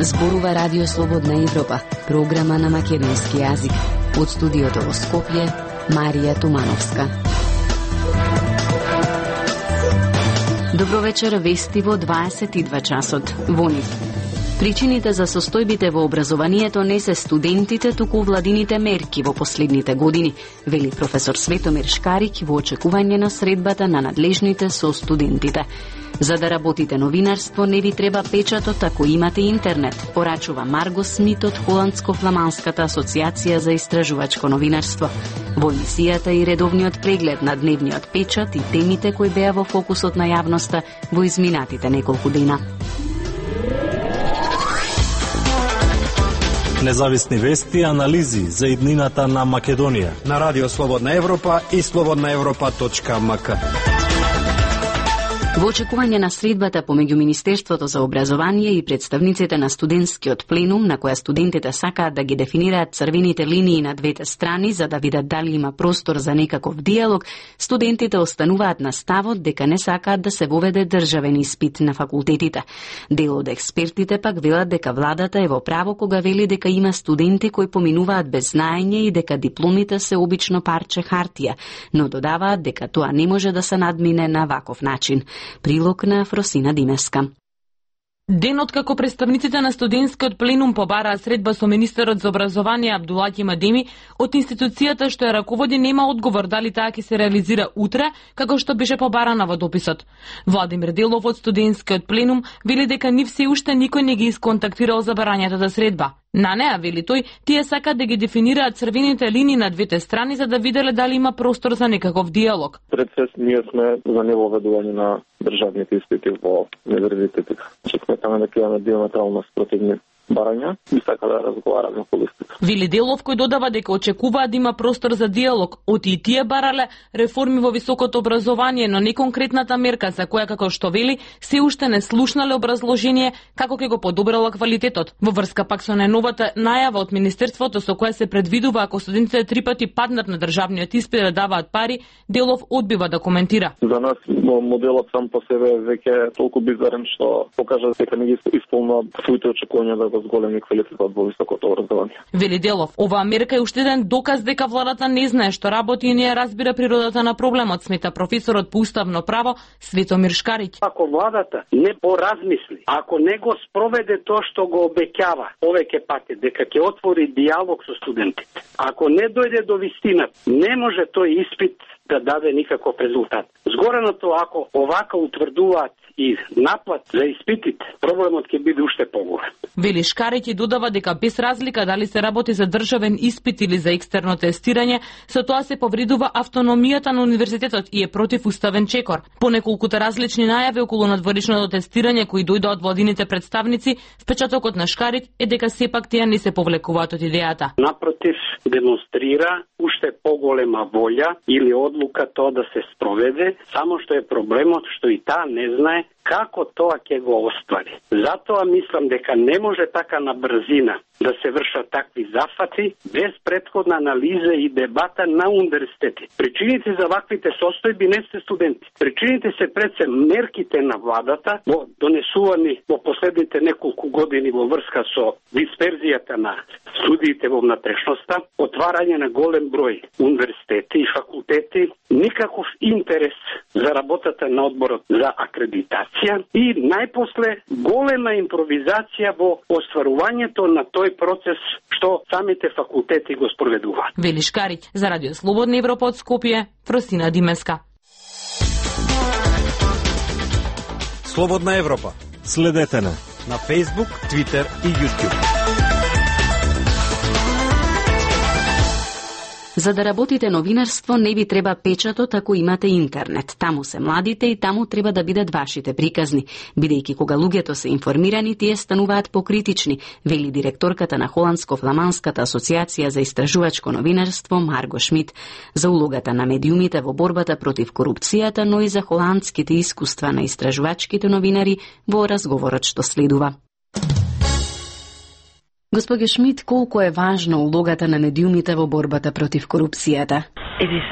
Зборува Радио Слободна Европа, програма на македонски јазик. Од студиото во Скопје, Марија Тумановска. Добро вечер, вести во 22 часот. Во нив. Причините за состојбите во образованието не се студентите, туку владините мерки во последните години, вели професор Светомир Шкарик во очекување на средбата на надлежните со студентите. За да работите новинарство не ви треба печатот ако имате интернет, порачува Марго Смит од Холандско-фламанската асоциација за истражувачко новинарство. Во емисијата и редовниот преглед на дневниот печат и темите кои беа во фокусот на јавноста во изминатите неколку дена. Независни вести и анализи за иднината на Македонија на Радио Слободна Европа и slobodnaevropa.mk. Во очекување на средбата помеѓу Министерството за образование и представниците на студентскиот пленум, на која студентите сакаат да ги дефинираат црвените линии на двете страни за да видат дали има простор за некаков диалог, студентите остануваат на ставот дека не сакаат да се воведе државен испит на факултетите. Дел од експертите пак велат дека владата е во право кога вели дека има студенти кои поминуваат без знаење и дека дипломите се обично парче хартија, но додаваат дека тоа не може да се надмине на ваков начин. Прилог на Фросина Димеска. Денот како представниците на студентскиот пленум побараа средба со министерот за образование Абдулаќи Мадеми, од институцијата што ја раководи нема одговор дали таа ќе се реализира утре, како што беше побарана во дописот. Владимир Делов од студентскиот пленум вели дека нив се уште никој не ги исконтактирал за барањето за средба. На неа, вели тој, тие сакаат да ги дефинираат црвените линии на двете страни за да виделе дали има простор за некаков диалог. Пред се ние сме за невоведување на државните испити во универзитетите. Сметаме дека имаме диаметрално спротивни барања и сака да разговараме по листите. Вили Делов кој додава дека очекуваат да има простор за диалог, оти и тие барале реформи во високото образование, но не конкретната мерка за која, како што вели, се уште не слушнале образложение како ќе го подобрала квалитетот. Во врска пак со најновата најава од Министерството со која се предвидува ако студентите 3 пати паднат на државниот испит да даваат пари, Делов одбива да коментира. За нас моделот сам по себе веќе толку бизарен што покажа дека не ги исполнува своите очекувања да го зголеми квалитетот во високото образование. Вели Делов, оваа мерка е уште еден доказ дека владата не знае што работи и не ја разбира природата на проблемот, смета професорот по уставно право Светомир Шкарик. Ако владата не поразмисли, ако не го спроведе тоа што го обеќава повеќе пати дека ќе отвори диалог со студентите, ако не дојде до вистина, не може тој испит да даде никаков резултат. Згореното, ако овака утврдуваат и наплат за испитите, проблемот ќе биде уште поголем. Вели Шкарик и додава дека без разлика дали се работи за државен испит или за екстерно тестирање, со тоа се повредува автономијата на универзитетот и е против уставен чекор. По неколкута различни најави околу надворешното тестирање кои дојдоа од владините представници, впечатокот на Шкарик е дека сепак тие не се повлекуваат од идејата. Напротив, демонстрира уште поголема волја или одлука тоа да се спроведе, само што е проблемот што и таа не знае како тоа ќе го оствари. Затоа мислам дека не може така на брзина да се вршат такви зафати без претходна анализа и дебата на универзитети. Причините за ваквите состојби не се студенти. Причините се пред се мерките на владата во донесувани во последните неколку години во врска со дисперзијата на студиите во внатрешноста, отварање на голем број универзитети и факултети, никаков интерес за работата на одборот за акредитација и најпосле голема импровизација во остварувањето на тој процес што самите факултети го спроведуваат. Вели Шкарик за Радио Слободна Европа од Скопје, Фросина Димеска. Слободна Европа. Следете на Facebook, Twitter и YouTube. За да работите новинарство не ви треба печатот ако имате интернет. Таму се младите и таму треба да бидат вашите приказни. Бидејќи кога луѓето се информирани, тие стануваат покритични, вели директорката на Холандско-фламанската асоциација за истражувачко новинарство Марго Шмит. За улогата на медиумите во борбата против корупцијата, но и за холандските искуства на истражувачките новинари во разговорот што следува. Господи Шмит, колку е важна улогата на медиумите во борбата против корупцијата? It is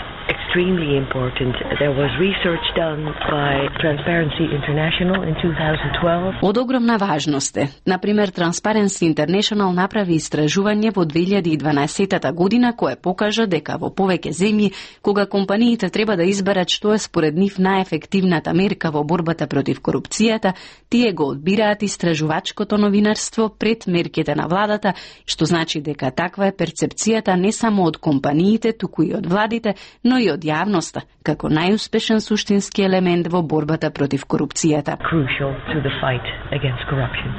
extremely important. There was research done by Transparency International in 2012. Од огромна важност е. Например, Transparency International направи истражување во 2012 година кое покажа дека во повеќе земји, кога компаниите треба да изберат што е според нив најефективната мерка во борбата против корупцијата, тие го одбираат истражувачкото новинарство пред мерките на владата, што значи дека таква е перцепцијата не само од компаниите, туку и од владите, но и од јавноста, како најуспешен суштински елемент во борбата против корупцијата.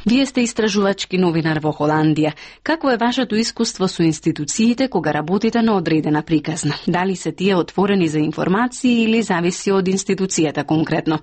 Вие сте истражувачки новинар во Холандија. Какво е вашето искуство со институциите кога работите на одредена приказна? Дали се тие отворени за информации или зависи од институцијата конкретно?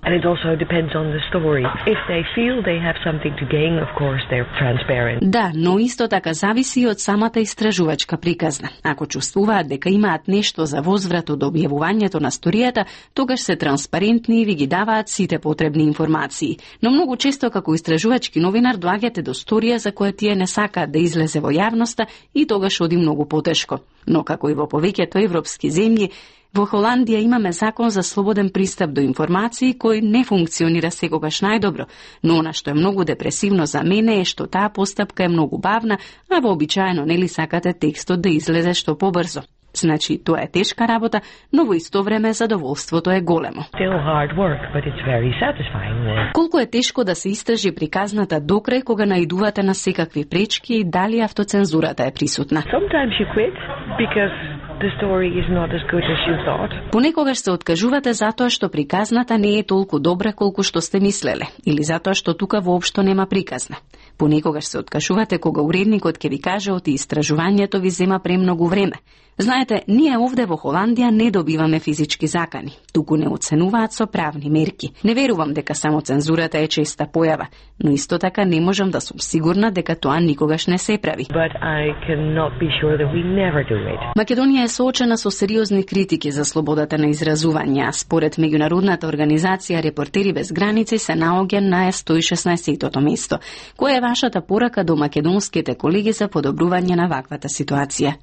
Да, но исто така зависи од самата истражувачка приказна. Ако чувствуваат дека имаат нешто за возврат од објавувањето на сторијата, тогаш се транспарентни и ви ги даваат сите потребни информации. Но многу често како истражувачки новинар доаѓате до сторија за која тие не сакаат да излезе во јавноста и тогаш оди многу потешко. Но како и во повеќето европски земји, во Холандија имаме закон за слободен пристап до информации кој не функционира секогаш најдобро, но она што е многу депресивно за мене е што таа постапка е многу бавна, а вообичаено нели сакате текстот да излезе што побрзо. Значи, тоа е тешка работа, но во исто време задоволството е големо. Колку е тешко да се истражи приказната докрај кога наидувате на секакви пречки и дали автоцензурата е присутна? Понекогаш се откажувате затоа што приказната не е толку добра колку што сте мислеле, или затоа што тука воопшто нема приказна. Понекогаш се откажувате кога уредникот ќе ви каже оти истражувањето ви зема премногу време. Знаете, ние овде во Холандија не добиваме физички закани, туку не оценуваат со правни мерки. Не верувам дека само цензурата е честа појава, но исто така не можам да сум сигурна дека тоа никогаш не се прави. Македонија е соочена со сериозни критики за слободата на изразување, а според меѓународната организација Репортери без граници се наоѓа на 116-тото место. Која е вашата порака до македонските колеги за подобрување на ваквата ситуација?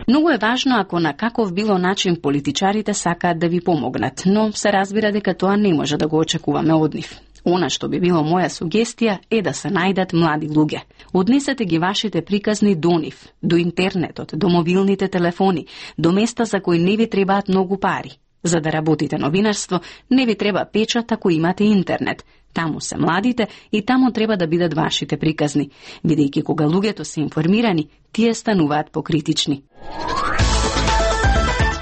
Многу е важно ако на каков било начин политичарите сакаат да ви помогнат, но се разбира дека тоа не може да го очекуваме од нив. Она што би било моја сугестија е да се најдат млади луѓе. Однесете ги вашите приказни до нив, до интернетот, до мобилните телефони, до места за кои не ви требаат многу пари. За да работите новинарство, не ви треба печат ако имате интернет. Таму се младите и таму треба да бидат вашите приказни, бидејќи кога луѓето се информирани, тие стануваат покритични.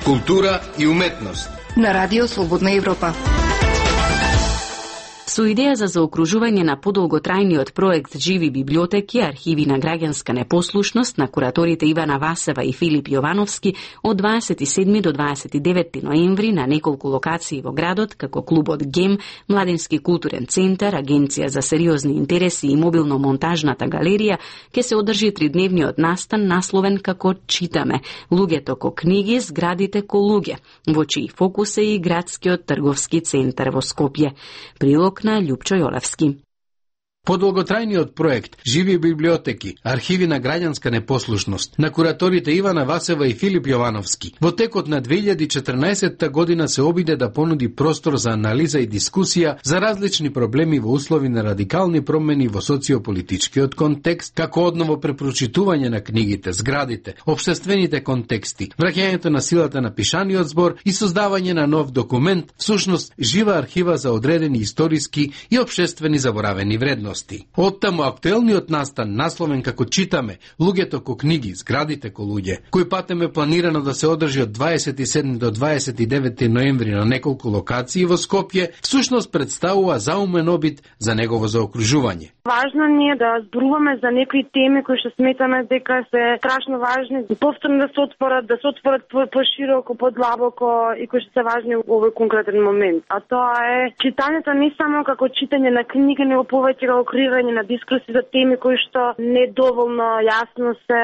Култура и уметност на Радио Слободна Европа. Со идеја за заокружување на подолготрајниот проект Живи библиотеки, архиви на граѓанска непослушност на кураторите Ивана Васева и Филип Јовановски од 27 до 29 ноември на неколку локации во градот, како клубот ГЕМ, Младински културен центар, Агенција за сериозни интереси и мобилно-монтажната галерија, ќе се одржи тридневниот настан насловен како Читаме, луѓето ко книги, зградите ко луѓе, во чиј фокус е и градскиот трговски центар во Скопје. Прилог на Љупчо Јолевски. Подолготрајниот проект Живи библиотеки, архиви на граѓанска непослушност на кураторите Ивана Васева и Филип Јовановски во текот на 2014 година се обиде да понуди простор за анализа и дискусија за различни проблеми во услови на радикални промени во социополитичкиот контекст, како одново препрочитување на книгите, зградите, општествените контексти, враќањето на силата на пишаниот збор и создавање на нов документ, всушност жива архива за одредени историски и општествени заборавени вредности. Оттаму актуелниот настан насловен како Читаме, луѓето ко книги, зградите ко луѓе, кој патем е планирано да се одржи од 27 до 29 ноември на неколку локации во Скопје, всушност представува заумен обид за негово заокружување. Важно ни е да зборуваме за некои теми кои што сметаме дека се страшно важни, повторно да се отворат пошироко, подлабоко и кои што се важни во овој конкретен момент. А тоа е читањето не само како читање на книги, него повеќе како креирање на дискуси за теми кои што недоволно јасно се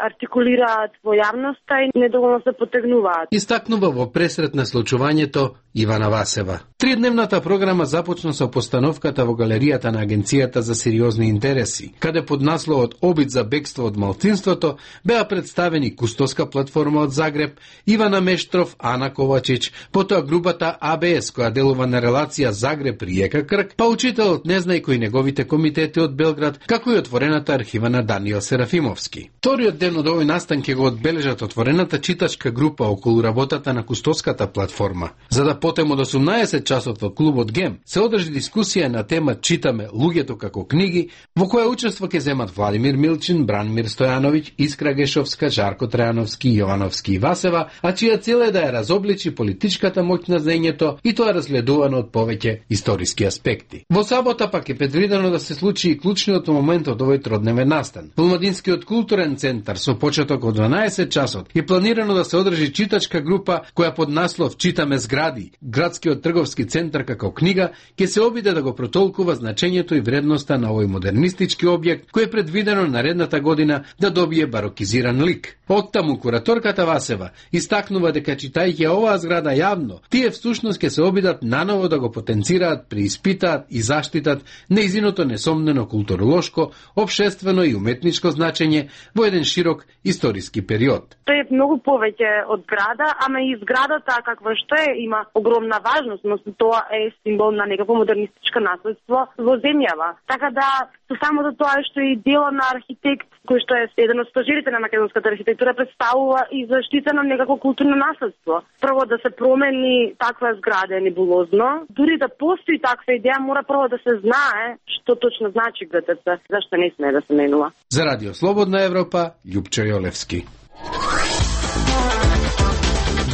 артикулираат во јавноста и недоволно се потегнуваат. Истакнува во пресрет на случувањето Ивана Васева. Тридневната програма започна со постановката во галеријата на Агенцијата за сериозни интереси, каде под насловот Обид за бегство од малцинството беа представени Кустоска платформа од Загреб, Ивана Мештров, Ана Ковачич, потоа групата АБС која делува на релација Загреб-Риека Крк, па учителот Незнајко и неговите комитети од Белград, како и отворената архива на Даниел Серафимовски. Вториот ден од овој настан ќе го одбележат отворената читачка група околу работата на Кустоската платформа. За да потем од 18 часот во клубот ГЕМ се одржи дискусија на тема Читаме луѓето како книги, во која учество ќе земат Владимир Милчин, Бранмир Стојановиќ, Искра Гешовска, Жарко Трајановски, Јовановски и Васева, а чија цел е да ја разобличи политичката моќ на знаењето и тоа разгледувано од повеќе историски аспекти. Во сабота пак е предвидено да се случи и клучниот момент од овој тродневен настан. Помладинскиот културен центар со почеток од 12 часот е планирано да се одржи читачка група која под наслов Читаме згради, градскиот трговски центар како книга, ќе се обиде да го протолкува значењето и вредноста на овој модернистички објект кој е предвидено наредната година да добие барокизиран лик. Оттаму кураторката Васева истакнува дека читајќи оваа зграда јавно, тие всушност ќе се обидат наново да го потенцираат, преиспитаат и заштитат нејзиното несомнено културолошко, општествено и уметничко значење во еден широк историски период. Тој е многу повеќе од града, ама и зградата каква што е има огромна важност, но тоа е символ на некакво модернистичко наследство во земјава. Така да со самото тоа што е дело на архитект кој што е еден од стожерите на македонската архитектура представува и заштита на некакво културно наследство. Прво да се промени таква зграда е небулозно. Дури да постои таква идеја, мора прво да се знае што точно значи ГТЦ, зашто не смее да се менува. За Радио Слободна Европа, Љупчо Јолевски.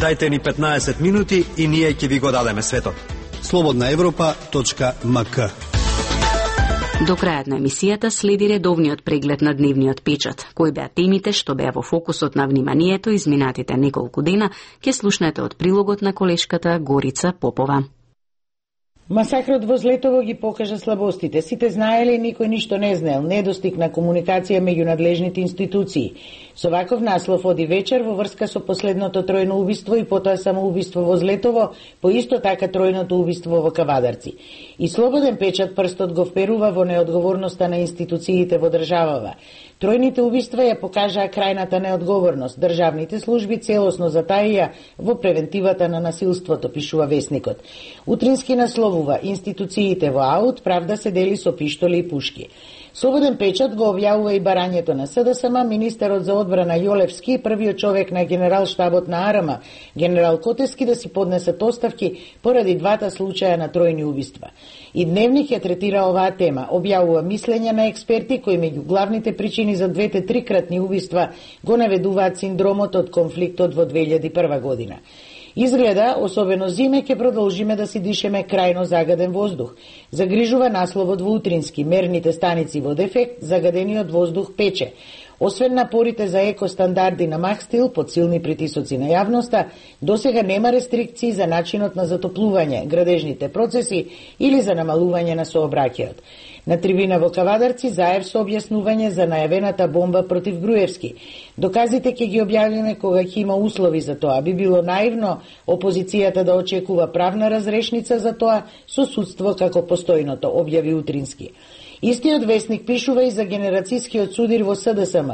Дайте ни 15 минути и ние ќе ви го дадеме светот. slobodnaevropa.mk. До крајот на емисијата следи редовниот преглед на дневниот печат. Кои беа темите што беа во фокусот на вниманието изминатите неколку дена, ќе слушнете од прилогот на колешката Горица Попова. Масакрот во Злетово ги покажа слабостите. Сите знаеле, никој ништо не знаел. Недостиг на комуникација меѓу надлежните институции. Со ваков наслов оди вечер во врска со последното тројно убиство и потоа самоубиство во Злетово, по исто така тројното убиство во Кавадарци. И Слободен печат прстот го вперува во неодговорноста на институциите во државава. Тројните убиства ја покажаа крајната неодговорност. Државните служби целосно затаија во превентивата на насилството, пишува Весникот. Утрински насловува: институциите во аут, правда се дели со пиштоли и пушки. Слободен печат го објавува и барањето на СДСМ, министерот за одбрана Јолевски и првиот човек на генерал штабот на АРМ, генерал Котески, да си поднесат оставки поради двата случаја на тројни убиства. И Дневник ја третира оваа тема, објавува мислења на експерти кои меѓу главните причини за двете трикратни убиства го наведуваат синдромот од конфликтот во 2001 година. Изгледа, особено зиме, ќе продолжиме да си дишеме крајно загаден воздух. Загрижува насловот во Утрински: мерните станици во дефект, загадениот воздух пече. Освен напорите за екостандарди на Махстил под силни притисоци на јавноста, досега нема рестрикции за начинот на затоплување, градежните процеси или за намалување на сообраќајот. На трибина во Кавадарци Заев со објаснување за најавената бомба против Груевски. Доказите ќе ги објавиме кога ќе има услови за тоа. Би било наивно опозицијата да очекува правна разрешница за тоа со судство како постојното, објави Утрински. Истиот Весник пишува и за генерацијскиот судир во СДСМ.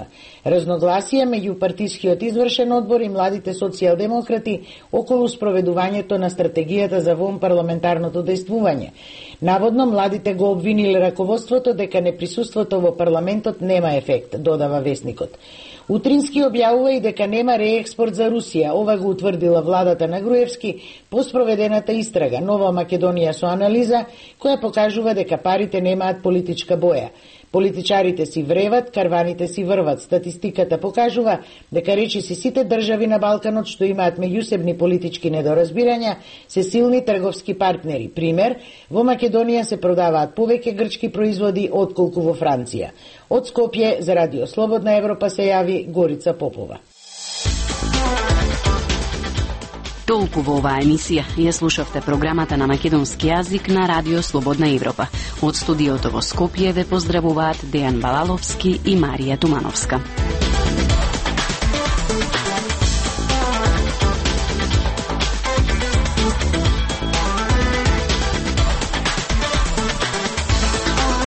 Разногласија меѓу партискиот извршен одбор и младите социјалдемократи околу спроведувањето на стратегијата за вонпарламентарното дејствување. Наводно младите го обвиниле раководството дека неприсуството во парламентот нема ефект, додава Весникот. Утрински објавува и дека нема реекспорт за Русија. Ова го утврдила владата на Груевски по спроведената истрага Нова Македонија со анализа која покажува дека парите немаат политичка боја. Политичарите си вреват, карваните си врват. Статистиката покажува дека речиси сите држави на Балканот што имаат меѓусебни политички недоразбирања се силни трговски партнери. Пример, во Македонија се продаваат повеќе грчки производи отколку во Франција. Од Скопје за Радио Слободна Европа се јави Горица Попова. Толку во оваа емисија. Ја слушавте програмата на македонски јазик на Радио Слободна Европа. Од студиото во Скопје ве поздравуваат Дејан Балаловски и Марија Тумановска.